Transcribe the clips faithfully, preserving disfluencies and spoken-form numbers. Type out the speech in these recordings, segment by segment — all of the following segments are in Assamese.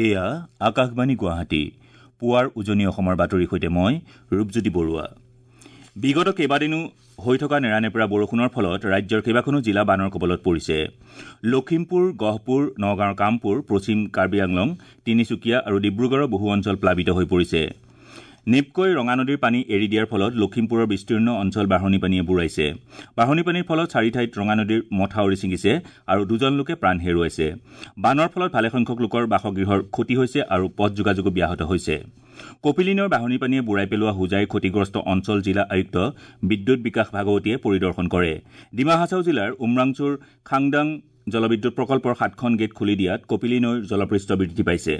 এয়া আকাশবাণী গুৱাহাটী। পুৱাৰ উজনি অসমৰ বাতৰিৰ সৈতে মই ৰূপজ্যোতি বৰুৱা। বিগত কেইবাদিনো হৈ থকা নেৰানেপেৰা বৰষুণৰ ফলত ৰাজ্যৰ কেইবাখনো জিলা বানৰ কবলত পৰিছে। লখিমপুৰ, গহপুৰ, নগাঁৱৰ কামপুৰ, পশ্চিম কাৰ্বি আংলং, তিনিচুকীয়া আৰু ডিব্ৰুগড়ৰ বহু অঞ্চল প্লাবিত হৈ পৰিছে। নেপকৈ ৰঙা নদীৰ পানী এৰি দিয়াৰ ফলত লখিমপুৰৰ বিস্তীৰ্ণ অঞ্চল বাঢ়নী পানীয়ে বুৰাইছে। বাঢ়নী পানীৰ ফলত চাৰি ঠাইত ৰঙা নদীৰ মথাউৰি ছিঙিছে আৰু দুজন লোকে প্ৰাণ হেৰুৱাইছে। বানৰ ফলত ভালেসংখ্যক লোকৰ বাসগৃহৰ ক্ষতি হৈছে আৰু পথ যোগাযোগো ব্যাহত হৈছে। কপিলী নৈৰ বাঢ়নী পানীয়ে বুৰাই পেলোৱা হোজাইৰ ক্ষতিগ্ৰস্ত অঞ্চল জিলা আয়ুক্ত বিদ্যুৎ বিকাশ ভাগৱতীয়ে পৰিদৰ্শন কৰে। ডিমা হাছাও জিলাৰ উমৰাংচুৰ খাংদাং জলবিদ্যুৎ প্ৰকল্পৰ সাতখন গেট খুলি দিয়াত কপিলী নৈৰ জলপৃষ্ঠ বৃদ্ধি পাইছে।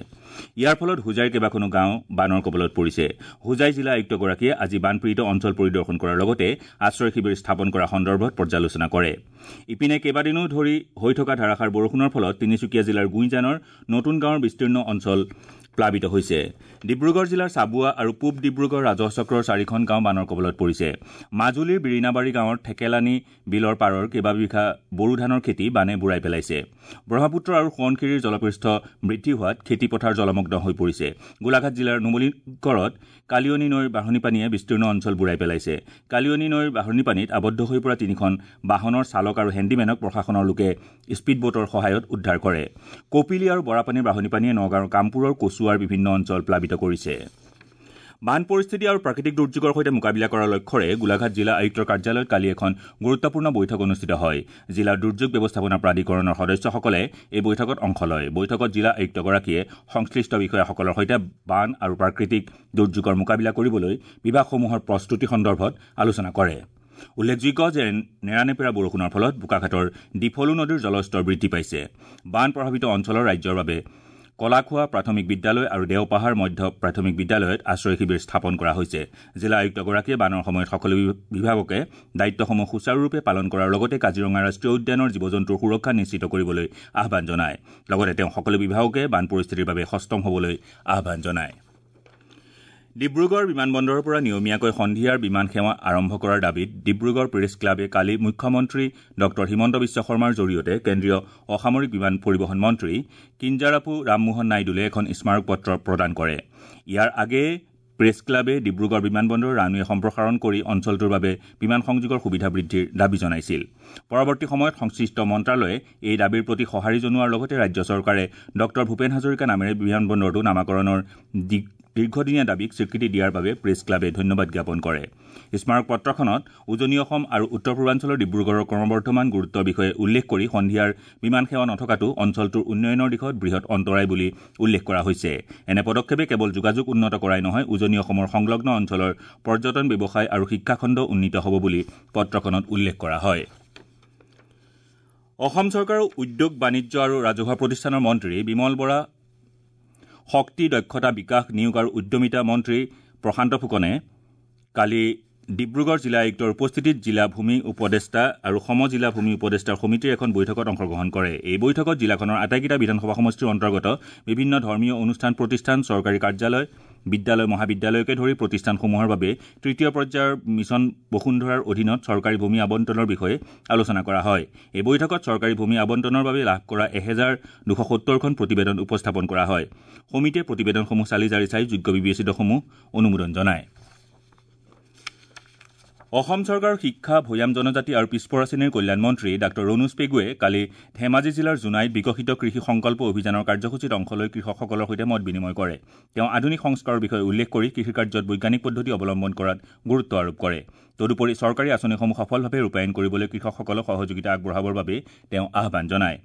ইয়াৰ ফলত হোজাইৰ কেইবাখনো গাঁও বানৰ কবলত পৰিছে। হোজাই জিলা আয়ুক্তগৰাকীয়ে আজি বানপীড়িত অঞ্চল পৰিদৰ্শন কৰাৰ লগতে আশ্ৰয় শিবিৰ স্থাপন কৰা সন্দৰ্ভত পৰ্যালোচনা কৰে। ইপিনে কেইবাদিনো ধৰি হৈ থকা ধাৰাসাৰ বৰষুণৰ ফলত তিনিচুকীয়া জিলাৰ গুইজানৰ নতুন গাঁৱৰ বিস্তীৰ্ণ অঞ্চল প্লাবিত হৈছে। ডিব্ৰুগড় জিলাৰ চাবুৱা আৰু পূব ডিব্ৰুগড় ৰাজহ চক্ৰৰ চাৰিখন গাঁও বানৰ কবলত পৰিছে। মাজুলীৰ বিৰিণাবাৰী গাঁৱৰ ঠেকেলানি বিলৰ পাৰৰ কেইবাবিঘা বড়ো ধানৰ খেতি বানে বুৰাই পেলাইছে। ব্ৰহ্মপুত্ৰ আৰু সোৱণশিৰিৰ জলপৃষ্ঠ বৃদ্ধি হোৱাত খেতিপথাৰ জলমগ্ন হৈ পৰিছে। গোলাঘাট জিলাৰ নুমলীগড়ত কালিয়নী নৈৰ বাঢ়নী পানীয়ে বিস্তীৰ্ণ অঞ্চল বুৰাই পেলাইছে। কালিয়নী নৈৰ বাঢ়নী পানীত আবদ্ধ হৈ পৰা তিনিখন বাহনৰ চালক আৰু হেণ্ডিমেনক প্ৰশাসনৰ লোকে স্পীডবোটৰ সহায়ত উদ্ধাৰ কৰে। কপিলী আৰু বৰাপানীৰ বাঢ়নী পানীয়ে নগাঁৱৰ কামপুৰৰ কচুৱাৰ বিভিন্ন অঞ্চল প্লাবিত কৰিছে। বান পৰিস্থিতি আৰু প্ৰাকৃতিক দুৰ্যোগৰ সৈতে মোকাবিলা কৰাৰ লক্ষ্যৰে গোলাঘাট জিলা আয়ুক্তৰ কাৰ্যালয়ত কালি এখন গুৰুত্বপূৰ্ণ বৈঠক অনুষ্ঠিত হয়। জিলা দুৰ্যোগ ব্যৱস্থাপনা প্ৰাধিকৰণৰ সদস্যসকলে এই বৈঠকত অংশ লয়। বৈঠকত জিলা আয়ুক্তগৰাকীয়ে সংশ্লিষ্ট বিষয়াসকলৰ সৈতে বান আৰু প্ৰাকৃতিক দুৰ্যোগৰ মোকাবিলা কৰিবলৈ বিভাগসমূহৰ প্ৰস্তুতি সন্দৰ্ভত আলোচনা কৰে। উল্লেখযোগ্য যে নেৰানেপেৰা বৰষুণৰ ফলত বোকাখাতৰ ডিফলু নদীৰ জলস্তৰ বৃদ্ধি পাইছে। বান প্ৰভাৱিত অঞ্চলৰ ৰাজ্যৰ বাবে কলাখোৱা প্ৰাথমিক বিদ্যালয় আৰু দেওপাহাৰ মধ্য প্ৰাথমিক বিদ্যালয়ত আশ্ৰয় শিবিৰ স্থাপন কৰা হৈছে। জিলা আয়ুক্তগৰাকীয়ে বানৰ সময়ত সকলো বিভাগকে দায়িত্বসমূহ সুচাৰুৰূপে পালন কৰাৰ লগতে কাজিৰঙা ৰাষ্ট্ৰীয় উদ্যানৰ জীৱ-জন্তুৰ সুৰক্ষা নিশ্চিত কৰিবলৈ আহ্বান জনায়। লগতে তেওঁ সকলো বিভাগকে বান পৰিস্থিতিৰ বাবে সষ্টম হ'বলৈ আহ্বান জনায়। ডিব্ৰুগড় বিমানবন্দৰৰ পৰা নিয়মীয়াকৈ সন্ধিয়াৰ বিমান সেৱা আৰম্ভ কৰাৰ দাবীত ডিব্ৰুগড় প্ৰেছ ক্লাবে কালি মুখ্যমন্ত্ৰী ডঃ হিমন্ত বিশ্ব শৰ্মাৰ জৰিয়তে কেন্দ্ৰীয় অসামৰিক বিমান পৰিবহণ মন্ত্ৰী কিঞ্জাৰাপু ৰামমোহন নাইডুলৈ এখন স্মাৰক পত্ৰ প্ৰদান কৰে। ইয়াৰ আগেয়ে প্ৰেছ ক্লাবে ডিব্ৰুগড় বিমানবন্দৰৰ ৰানৱে সম্প্ৰসাৰণ কৰি অঞ্চলটোৰ বাবে বিমান সংযোগৰ সুবিধা বৃদ্ধিৰ দাবী জনাইছিল। পৰৱৰ্তী সময়ত সংশ্লিষ্ট মন্ত্ৰালয়ে এই দাবীৰ প্ৰতি সঁহাৰি জনোৱাৰ লগতে ৰাজ্য চৰকাৰে ডঃ ভূপেন হাজৰিকা নামেৰে বিমানবন্দৰটো নামাকৰণৰ দীৰ্ঘদিনীয়া দাবীক স্বীকৃতি দিয়াৰ বাবে প্ৰেছ ক্লাবে ধন্যবাদ জ্ঞাপন কৰে। স্মাৰক পত্ৰখনত উজনি অসম আৰু উত্তৰ পূৰ্বাঞ্চলৰ ডিব্ৰুগড়ৰ ক্ৰমবৰ্ধমান গুৰুত্বৰ বিষয়ে উল্লেখ কৰি সন্ধিয়াৰ বিমান সেৱা নথকাটো অঞ্চলটোৰ উন্নয়নৰ দিশত বৃহৎ অন্তৰায় বুলি উল্লেখ কৰা হৈছে। এনে পদক্ষেপে কেৱল যোগাযোগ উন্নত কৰাই নহয়, উজনি অসমৰ সংলগ্ন অঞ্চলৰ পৰ্যটন, ব্যৱসায় আৰু শিক্ষাখণ্ড উন্নীত হ'ব বুলি পত্ৰখনত উল্লেখ কৰা হয়। অসম চৰকাৰৰ উদ্যোগ, বাণিজ্য আৰু ৰাজহুৱা প্ৰতিষ্ঠানৰ মন্ত্ৰী বিমল বৰা, শক্তি, দক্ষতা বিকাশ, নিয়োগ আৰু উদ্যমিতা মন্ত্ৰী প্ৰশান্ত ফুকনে কালি ডিব্ৰুগড় জিলা আয়ুক্তৰ উপস্থিতিত জিলা ভূমি উপদেষ্টা আৰু সম জিলা ভূমি উপদেষ্টাৰ সমিতিৰ এখন বৈঠকত অংশগ্ৰহণ কৰে। এই বৈঠকত জিলাখনৰ আটাইকেইটা বিধানসভা সমষ্টিৰ অন্তৰ্গত বিভিন্ন ধৰ্মীয় অনুষ্ঠান প্ৰতিষ্ঠান, চৰকাৰী কাৰ্যালয়, বিদ্যালয়, মহাবিদ্যালয়কে ধৰি প্ৰতিষ্ঠানসমূহৰ বাবে তৃতীয় পৰ্যায়ৰ মিছন বসুন্ধৰাৰ অধীনত চৰকাৰী ভূমি আবণ্টনৰ বিষয়ে আলোচনা কৰা হয়। এই বৈঠকত চৰকাৰী ভূমি আবণ্টনৰ বাবে লাভ কৰা এহেজাৰ দুশ সত্তৰখন প্ৰতিবেদন উপস্থাপন কৰা হয়। সমিতিয়ে প্ৰতিবেদনসমূহ চালি জাৰি চাই যোগ্য বিবেচিতসমূহ অনুমোদন জনায়। অসম চৰকাৰৰ শিক্ষা, ভৈয়াম জনজাতি আৰু পিছপৰা শ্ৰেণীৰ কল্যাণ মন্ত্ৰী ডাঃ ৰণোজ পেগুৱে কালি ধেমাজি জিলাৰ জোনাইত বিকশিত কৃষি সংকল্প অভিযানৰ কাৰ্যসূচীত অংশ লৈ কৃষকসকলৰ সৈতে মত বিনিময় কৰে। তেওঁ আধুনিক সংস্কাৰৰ বিষয়ে উল্লেখ কৰি কৃষিকাৰ্যত বৈজ্ঞানিক পদ্ধতি অৱলম্বন কৰাত গুৰুত্ব আৰোপ কৰে। তদুপৰি চৰকাৰী আঁচনিসমূহ সফলভাৱে ৰূপায়ণ কৰিবলৈ কৃষকসকলক সহযোগিতা আগবঢ়াবৰ বাবে তেওঁ আহ্বান জনায়।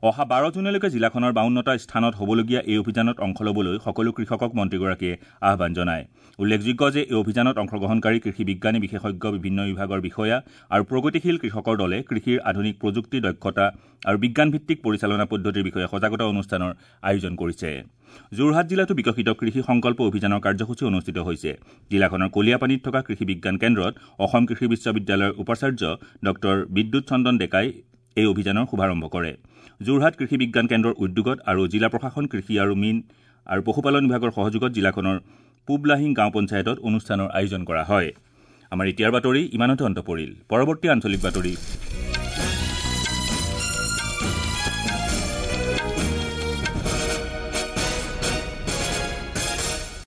অহা বাৰ জুনলৈকে জিলাখনৰ বাৱন্নটা স্থানত হ'বলগীয়া এই অভিযানত অংশ ল'বলৈ সকলো কৃষকক মন্ত্ৰীগৰাকীয়ে আহ্বান জনায়। উল্লেখযোগ্য যে এই অভিযানত অংশগ্ৰহণকাৰী কৃষি বিজ্ঞানী, বিশেষজ্ঞ, বিভিন্ন বিভাগৰ বিষয়া আৰু প্ৰগতিশীল কৃষকৰ দলে কৃষিৰ আধুনিক প্ৰযুক্তি, দক্ষতা আৰু বিজ্ঞানভিত্তিক পৰিচালনা পদ্ধতিৰ বিষয়ে সজাগতা অনুষ্ঠানৰ আয়োজন কৰিছে। যোৰহাট জিলাতো বিকশিত কৃষি সংকল্প অভিযানৰ কাৰ্যসূচী অনুষ্ঠিত হৈছে। জিলাখনৰ কলিয়াপানীত থকা কৃষি বিজ্ঞান কেন্দ্ৰত অসম কৃষি বিশ্ববিদ্যালয়ৰ উপাচাৰ্য ডঃ বিদ্যুৎ চন্দন ডেকাই এই অভিযানৰ শুভাৰম্ভ কৰে। যোৰহাট কৃষি বিজ্ঞান কেন্দ্ৰৰ উদ্যোগত আৰু জিলা প্ৰশাসন, কৃষি আৰু মীন আৰু পশুপালন বিভাগৰ সহযোগত জিলাখনৰ পূব লাহিং গাঁও পঞ্চায়তত অনুষ্ঠানৰ আয়োজন কৰা হয়। আমাৰ এতিয়াৰ বাতৰি ইমানতে অন্ত পৰিল। পৰৱৰ্তী আঞ্চলিক বাতৰি